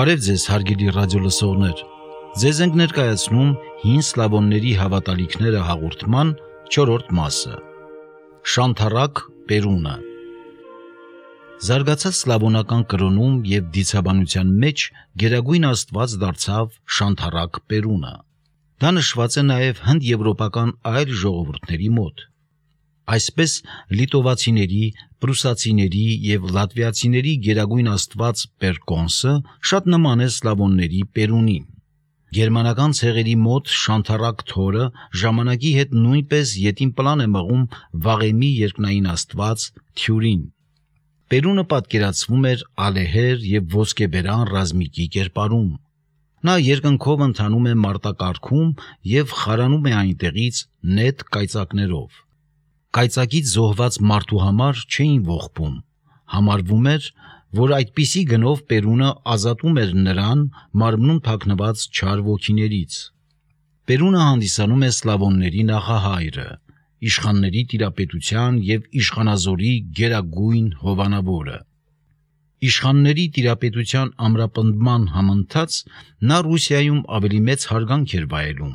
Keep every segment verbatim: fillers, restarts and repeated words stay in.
Բարև ձեզ, հարգելի ռադիոլսողներ։ Ձեզ ենք ներկայացնում հին սլավոնների հավատալիքները հաղորդման չորրորդ մասը։ Շանթառակ Պերունը։ Զարգացած սլավոնական կրոնում և դիցաբանության մեջ գերագույն աստված դարձավ Շանթառակ Պերունը։ Դա նշված է նաև հնդեվրոպական այլ ժողովուրդների մոտ։ Այսպես լիտովացիների, պրուսացիների և լատվիացիների գերագույն աստված Պերկոնսը շատ նման է սլավոնների Պերունին։ Գերմանական ցեղերի մոտ Շանթառակ Թորը ժամանակի հետ նույնպես ետին պլան է մղում վաղեմի երկնային աստված Թյուրին։ Պերունը պատկերացվում էր ալեհեր և ոսկեբերան ռազմիկի կերպարում։ Նա երկնքով ընթանում է մարտակառքում և խարանում է այնտեղից նետ կայծակներով։ Կայծակից զոհված մարդու համար չէին ողբում, համարվում էր, որ այդպիսի գնով Պերունը ազատում էր նրան մարմնում թաքնված չար ոգիներից։ Պերունը հանդիսանում է սլավոնների նախահայրը, իշխանների տիրապետության և իշխանազորի գերագույն հովանավորը։ Իշխանների տիրապետության ամրապնդման համընթաց նա Ռուսիայում ավելի մեծ հարգանք էր վայելում։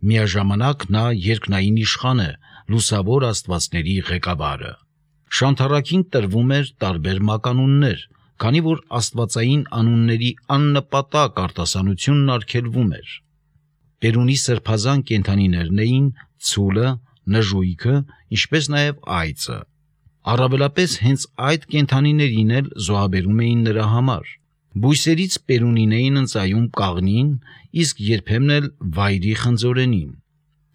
Միաժամանակ նա երկնային իշխան է, լուսավոր աստվածների ղեկավարը։ Շանթառակին տրվում էր տարբեր մականուններ, քանի որ աստվածային անունների աննպատակ արտասանությունն արգելվում էր։ Պերունի սրբազան կենդանիներն էին ցուլը, նժույգը, ինչպես նաև այծը։ Առավելապես հենց այդ կենդանիներին էլ զոհաբերում էին նրա համար։ Բույսերից Պերունին էին ընծայում կաղնին, իսկ երբեմն էլ վայրի խնձորենին։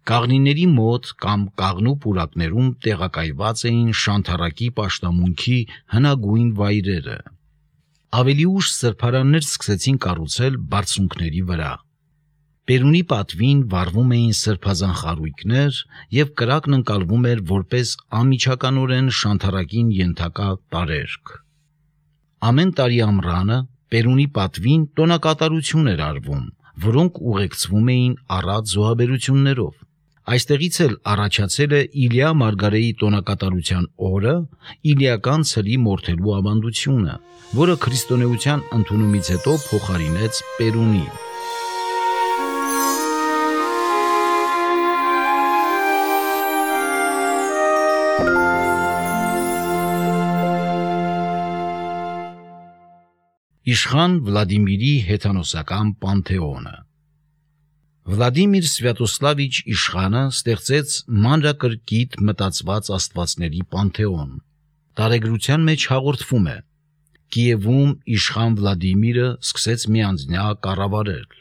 Կաղնիների մոտ կամ կաղնու պուրակներում տեղակայված էին Շանթառակի պաշտամունքի հնագույն վայրերը։ Ավելի ուշ սրբարաններ սկսեցին կառուցել բարձունքների վրա։ Պերունի պատվին վառվում էին սրբազան խարույկներ և կրակն ընկալվում էր որպես անմիջականորեն Շանթառակին ենթակա տարերկ։ Ամեն տարի ամռանը Պերունի պատվին տոնակատարություն էր արվում, որոնք ուղեկցվում էին առատ զոհաբերություններով։ Այստեղից էլ առաջացել է Իլիա Մարգարեի տոնակատարության օրը իլիական ցլի մորթելու ավանդությունը, որը քրիստոնեության ընդունումից հետո փոխարինեց Պերունին։ Իշխան Վլադիմիրի հեթանոսական պանթեոնը։ Վլադիմիր Սվյատոսլավիչ իշխանը ստեղծեց մանրակրկիտ մտածված աստվածների պանթեոն։ Տարեգրության մեջ հաղորդվում է. Կիևում իշխան Վլադիմիրը սկսեց միանձնյա կառավարել։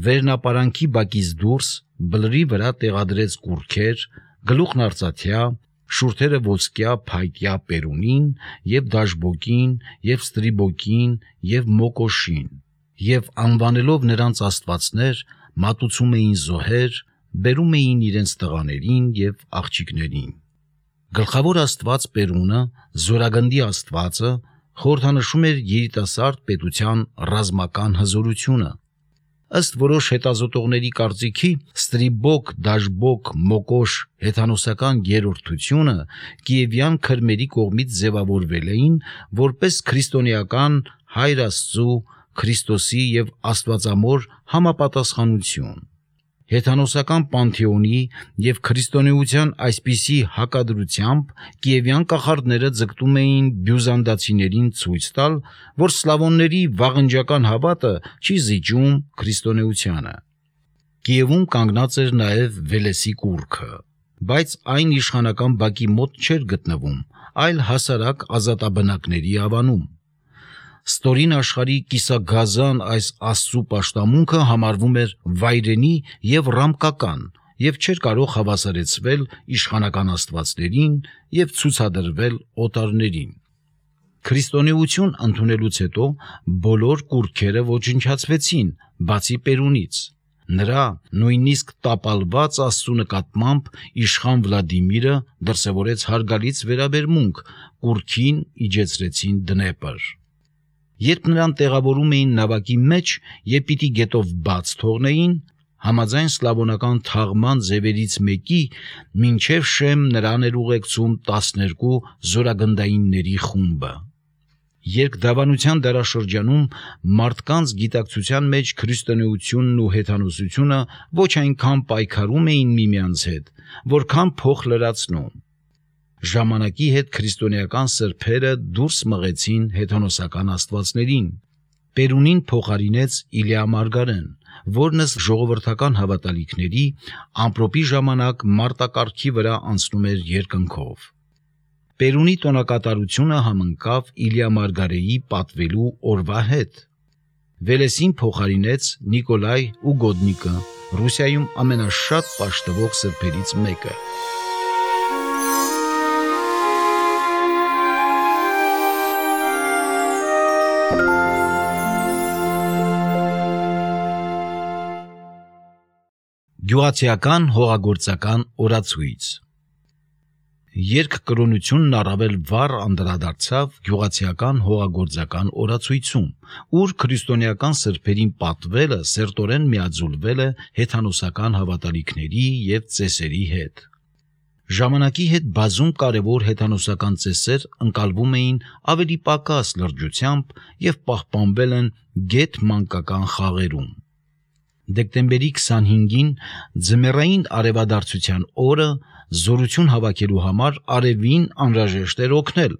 Վերնապարանքի բակից դուրս բլրի վրա տեղադրեց կուռքեր, գլուխն արծաթյա, շուրթերը ոսկյա փայտյա Պերունին և Դաշբոկին և Ստրիբոկին և Մոկոշին, և անվանելով նրանց աստվածներ, մատուցում էին զոհեր, բերում էին իրենց տղաներին և աղջիկներին։ Գլխավոր աստված Պերունը, զորագնդի աստվածը, խորհրդանշում էր երիտասարդ պետության ռազմական հզորությունը։ Ըստ որոշ հետազոտողների կարծիքի, Ստրիբոկ, Դաշբոկ, Մոկոշ հեթանոսական երրորդությունը կիևյան քրմերի կողմից ձևավորվել էին որպես քրիստոնեական Հայր Աստծու, Քրիստոսի և Աստվածամոր համապատասխանություն։ Հեթանոսական պանթեոնի և քրիստոնեության այսպիսի հակադրությամբ կիևյան կախարդները ձգտում էին բյուզանդացիներին ցույց տալ, որ սլավոնների վաղնջական հավատը չի զիջում քրիստոնեությանը։ Կիևում կանգնած էր նաև Վելեսի կուռքը, բայց այն իշխանական բակի մոտ չէր գտնվում, այլ հասարակ ազատաբնակների ավանում։ Ստորին աշխարհի կիսագազան այս Աստծու պաշտամունքը համարվում էր վայրենի և ռամկական և չէր կարող հավասարեցվել իշխանական աստվածներին և ցուցադրվել օտարներին։ Քրիստոնեություն ընդունելուց հետո բոլոր կուռքերը ոչնչացվեցին, բացի Պերունից։ Նրա նույնիսկ տապալված Աստծու նկատմամբ իշխան Վլադիմիրը դրսևորեց հարգալից վերաբերմունք, կուռքին իջեցրեցին դնեպր։ Երբ նրան տեղավորում էին նավակի մեջ և պիտի գետով բաց թողնեին, համաձայն սլավոնական թաղման ձևերից մեկի, մինչև Շեմ նրան էր ուղեկցում տասներկու զորագնդայինների խումբը։ Երկդավանության դարաշրջանում մարդկանց գիտակցության մեջ քրիստոնեությունն ու հեթանոսությունը ոչ այնքան պայքարում էին միմյանց հետ, որքան փոխ լրացնում։ Ժամանակի հետ քրիստոնեական սրբերը դուրս մղեցին հեթանոսական աստվածներին։ Պերունին փոխարինեց Իլիա Մարգարեն, որն ըստ ժողովրդական հավատալիքների ամպրոպի ժամանակ մարտակառքի վրա անցնում էր երկնքով։ Պերունի տոնակատարությունը համընկավ Իլիա Մարգարեի պատվելու օրվա հետ։ Վելեսին փոխարինեց Նիկոլայ Ուգոդնիկը, Ռուսիայում ամենաշատ պաշտվող սրբերից մեկը։ Գյուղացիական հողագործական օրացույց։ Երկկրոնությունն առավել վառ անդրադարձավ գյուղացիական հողագործական օրացույցում, ուր քրիստոնեական սրբերին պատվելը սերտորեն միաձուլվել է հեթանոսական հավատալիքների և ծեսերի հետ։ Ժամանակի հետ բազում կարևոր հեթանոսական ծեսեր ընկալվում էին ավելի պակաս լրջությամբ և պահպանվել են գեթ մանկական խաղերում։ Դեկտեմբերի քսանհինգին ձմեռային արևադարձության օրը զորություն հավաքելու համար արևին անհրաժեշտ էր օգնել։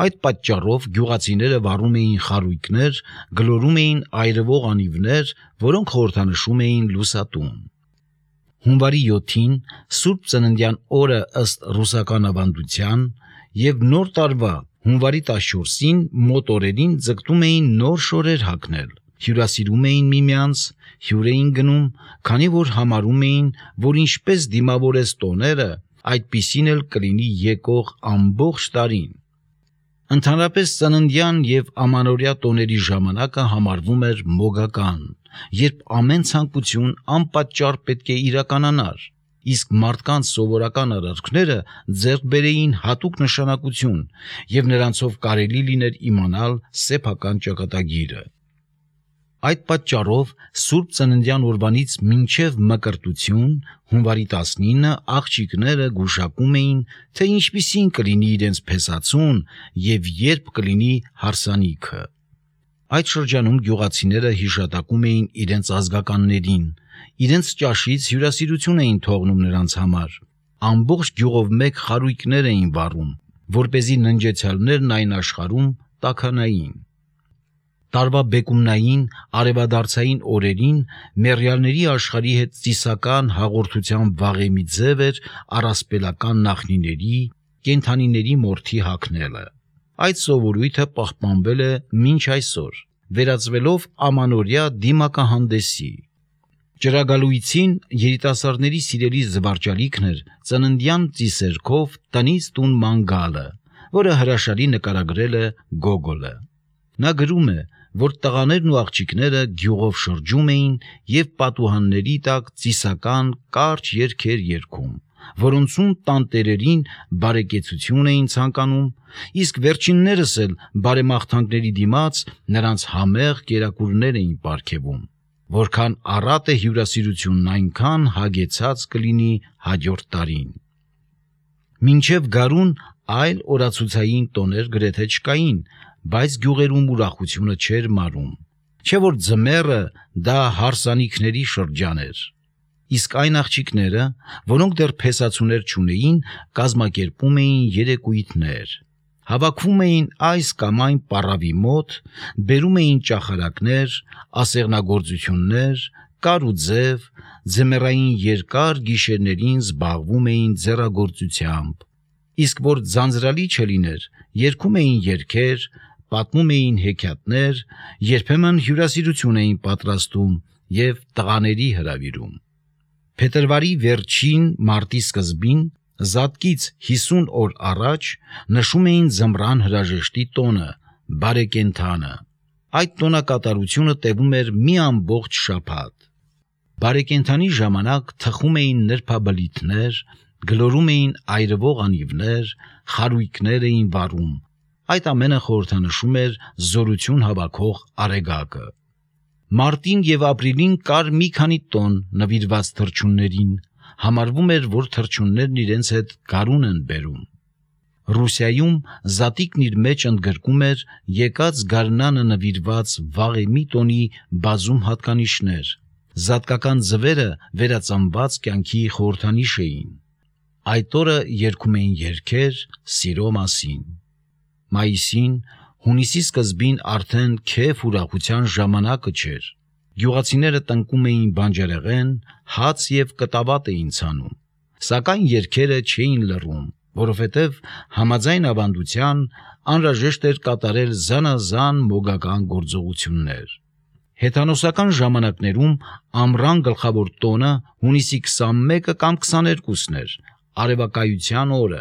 Այդ պատճառով գյուղացիները վառում էին խարույկներ, գլորում էին այրվող անիվներ, որոնք խորհրդանշում էին լուսատուն։ Հունվարի յոթին Սուրբ Ծննդյան օրը ըստ ռուսական ավանդության և Նոր տարվա հունվարի տասնչորսին մոտ օրերին ձգտում էին նոր շորեր հագնել, հյուրասիրում էին միմյանց, հյուր էին գնում, քանի որ համարում էին, որ ինչպես դիմավորես տոները, այդպիսին էլ կլինի եկող ամբողջ տարին։ Ընդհանրապես ծննդյան և ամանորյա տոների ժամանակը համարվում էր մոգական, երբ ամեն ցանկություն անպատճառ պետք է իրականանար, իսկ մարդկանց սովորական արարքները ձեռք բերեին հատուկ նշանակություն և նրանցով կարելի լիներ իմանալ սեփական ճակատագիրը։ Այդ պատճառով Սուրբ Ծննդյան օրվանից մինչև Մկրտություն հունվարի տասնինը աղջիկները գուշակում էին, թե ինչպիսին կլինի իրենց փեսացուն և երբ կլինի հարսանիքը։ Այդ շրջանում գյուղացիները հիշատակում էին իրենց ազգականներին, իրենց ճաշից հյուրասիրություն էին թողնում նրանց համար, ամբողջ գյուղով մեկ խարույկներ էին վառում, որպեսզի ննջեցյալներն այն աշխարհում տաքանային։ Տարվա բեկումնային արևադարձային օրերին մեռյալների աշխարհի հետ ծիսական հաղորդության վաղեմի ձև էր առասպելական նախնիների, կենդանիների մորթի հագնելը։ Այդ սովորույթը պահպանվել է մինչ այսօր, վերածվելով ամանորյա դիմակահանդեսի։ Ճրագալույցին երիտասարդների սիրելի զվարճալիքն էր ծննդյան ծիսերքով տնից տուն ման գալը, որը հրաշալի նկարագրել է Գոգոլը։ Նա գրում է, որ տղաներն ու աղջիկները գյուղով շրջում էին և պատուհանների տակ ծիսական կարճ երգեր երգում, որոնցում տանտերերին բարեկեցություն էին ցանկանում, իսկ վերջիններս էլ բարեմաղթանքների դիմաց նրանց համեղ կերակուրներ էին պարգևում, որքան առատ է հյուրասիրությունն այնքան հագեցած կլինի հաջորդ տարին։ Մինչև գարուն այլ օրացուցային տոներ գրեթե չկային, բայց գյուղերում ուրախությունը չէր մարում, չէ որ ձմեռը դա հարսանիքների շրջան էր։ Իսկ այն աղջիկները, որոնք դեռ փեսացուներ չունեին, կազմակերպում էին երեկույթներ, հավաքվում էին այս կամ այն պառավի մոտ, բերում էին ճախարակներ, ասեղնագործություններ, կար ու ձև, ձմեռային երկար գիշերներին զբաղվում էին ձեռագործությամբ, իսկ որ ձանձրալի չլիներ, երգում էին երգեր, պատմում էին հեքիաթներ, երբեմն հյուրասիրություն էին պատրաստում և տղաների հրավիրում։ Փետրվարի վերջին մարտի սկզբին, զատկից հիսուն օր առաջ, նշում էին ձմռան հրաժեշտի տոնը, բարեկենդանը։ Այդ տոնակատարությունը տևում էր մի ամբողջ շաբաթ։ Բարեկենդանի ժամանակ թխում էին նրբաբլիթներ, գլորում էին այրվող անիվներ, խարույկներ էին վառում։ Այդ ամենը խորհրդանշում էր զորություն հավաքող արեգակը։ Մարտին և ապրիլին կար մի քանի տոն նվիրված թռչուններին, համարվում էր, որ թռչուններն իրենց հետ գարուն են բերում։ Ռուսիայում Զատիկն իր մեջ ընդգրկում էր եկած գարնանը նվիրված վաղեմի տոնի բազում հատկանիշներ։ Զատկական ձվերը վերածնված կյանքի խորհրդանիշ էին։ Այդ օրը երգում էին երգեր սիրո մասին։ Մայիսին, հունիսի սկզբին արդեն քեֆ ուրախության ժամանակը չէր։ Գյուղացիները տնկում էին բանջարեղեն, հաց և կտավատ էին ցանում, սակայն երգերը չէին լռում, որովհետև համաձայն ավանդության անհրաժեշտ էր կատարել զանազան մոգական գործողություններ։ Հեթանոսական ժամանակներում ամռան գլխավոր տոնը հունիսի քսանմեկը կամ քսաներկուսն էր, արևակայության օրը։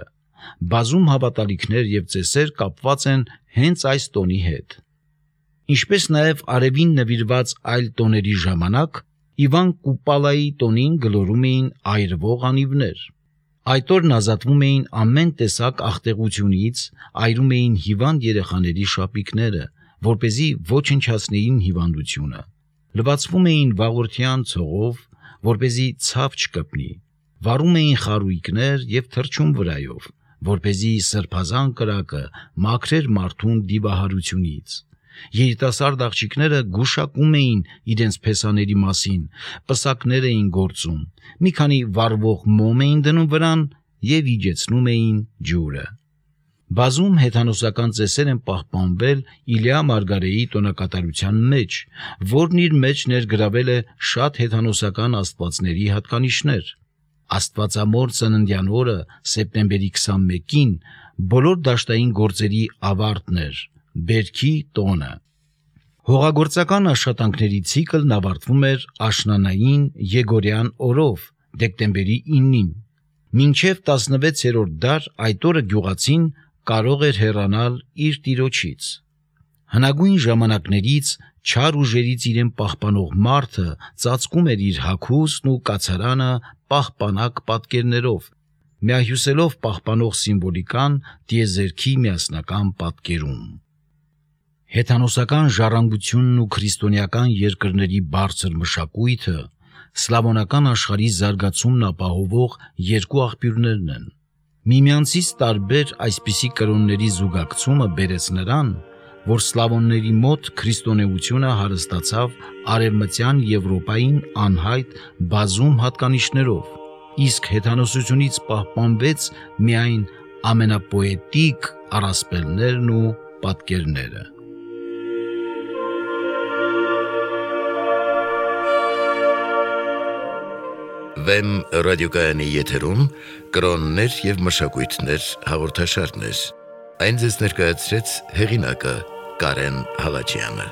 Բազում հավատալիքներ և ծեսեր կապված են հենց այս տոնի հետ։ Ինչպես նաև արևին նվիրված այլ տոների ժամանակ, Իվան Կուպալայի տոնին գլորում էին այրվող անիվներ։ Այդ օրն ազատվում էին ամեն տեսակ աղտեղությունից, այրում էին հիվանդ երեխաների շապիկները, որպեսզի ոչնչացնեին հիվանդությունը, լվացվում էին վաղորդյան ցողով, որպեսզի ցավ չկպնի, վառում էին խարույկներ և թռչուն վրայով, որպեսզի սրբազան կրակը մաքրեր մարդուն դիվահարությունից։ Երիտասարդ աղջիկները գուշակում էին իրենց փեսաների մասին, պսակներ էին գործում, մի քանի վառվող մոմ էին դնում վրան և իջեցնում էին ջուրը։ Բազում հեթանոսական ծեսեր են պահպանվել Իլյա Մարգարեի տոնակատարության մեջ, որն իր մեջ ներգրավել է շատ հեթանոսական աստվածների հատկանիշներ։ Աստվածամոր ծննդյան օրը սեպտեմբերի քսանմեկին բոլոր դաշտային գործերի ավարտն էր, բերքի տոնը։ Հողագործական աշխատանքների ցիկլն ավարտվում էր աշնանային Եգորյան օրով, դեկտեմբերի իննին։ Մինչև տասնվեցերորդ դար այդ օրը գյուղացին կարող էր հեռանալ իր տիրոջից։ Հնագույն ժամանակներից չար ուժերից իրեն պահպանող մարդը ծածկում էր իր հագուստն ու կացարանը պահպանակ պատկերներով, միահյուսելով պահպանող սիմվոլիկան տիեզերքի միասնական պատկերում։ Հեթանոսական ժառանգությունն ու քրիստոնեական երկրների բարձր մշակույթը սլավոնական աշխարհի զարգացումն ապահովող երկու աղբյուրներն են։ Միմյանցից տարբեր այսպիսի կրոնների զուգակցումը բերեց նրան, որ սլավոնների մոտ քրիստոնեությունը հարստացավ արևմտյան Եվրոպային անհայտ բազում հատկանիշներով, իսկ հեթանոսությունից պահպանվեց միայն ամենապոետիկ առասպելներն ու պատկերները։ Վեմ ռադիոկայանի եթերում կրոններ և մշակույթներ հաղորդաշարներ։ Այն ձեզ ներկայացրեց հեղինակը Կարեն Հալաջյանը։